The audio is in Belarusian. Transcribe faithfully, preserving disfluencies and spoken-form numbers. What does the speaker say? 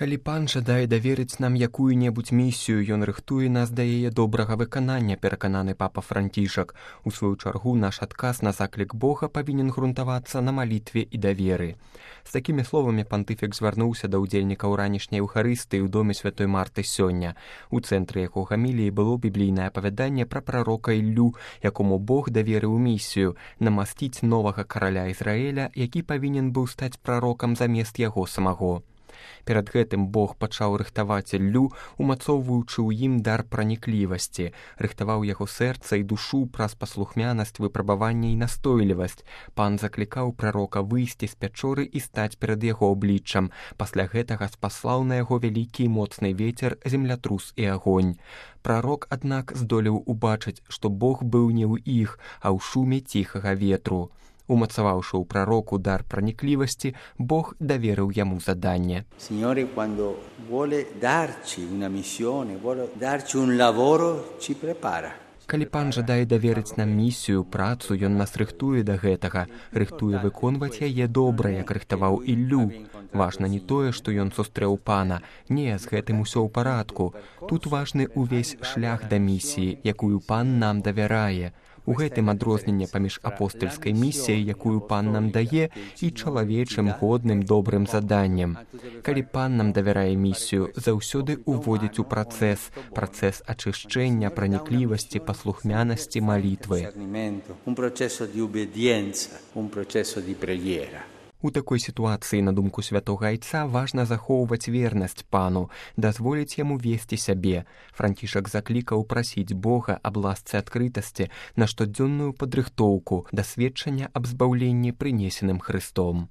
Калі пан жадае даверыць нам якую-небудзь місію, ён рыхтуе нас да яе добрага выканання, перакананы папа Францішак. У сваю чаргу наш адказ на заклік Бога павінен грунтавацца на малітве і даверы. З такімі словамі пантыфік звярнуўся да ўдзельнікаў ранішняй Еўхарыстыі ў доме святой Марты сёння. У цэнтры яго гаміліі было біблійнае апавяданне пра прарока Іллю, якому Бог даверыў місію намасціць новага караля Ізраіля, які павінен быў стаць прарокам замест яго самого. Перад гэтым Бог пачаў рыхтаваць Іллю, умацоўваючы ў ім дар праніклівасці, рыхтаваў яго сэрца і душу праз паслухмянасць, выпрабаванне і настойлівасць. Пан заклікаў прарока выйсці з пячоры і стаць перад яго абліччам. Пасля гэтага спаслаў на яго вялікі і моцны вецер, землятрус і агонь. Прарок, аднак, здолеў убачыць, што Бог быў не ў іх, а ў шуме ціхага ветру. Умацаваўшы ў прароку дар праніклівасці, Бог даверыў яму заданне. Signore, quando vuole darci una missione, vuole darci un lavoro, ci prepara. Калі пан жадае даверыць нам місію, працу, ён нас рыхтуе да гэтага, рыхтуе выконваць яе добра, як рыхтаваў Іллю. Важна не тое, што ён сустрэў пана. Не, з гэтым усё ў парадку. Тут важны увесь шлях да місіі, якую пан нам давярае. У гэтым адрозненне паміж апостальскай місіяй, якую пан нам дае, і чалавечым годным добрым заданнем. Калі пан нам давярае місію, заўсёды уводзіць у працэс, працэс ачышчэння, праніклівасці, паслухмянасці, малітвы. Un processo di ubbidienza, un processo di preghiera. У такой сітуацыі, на думку святога айца, важна захоўваць вернасць пану, дазволіць яму весці сябе. Францішак заклікаў прасіць Бога аб ласцы адкрытасці на штодзённую падрыхтоўку да сведчання аб збаўленні, прынесеным Хрыстом.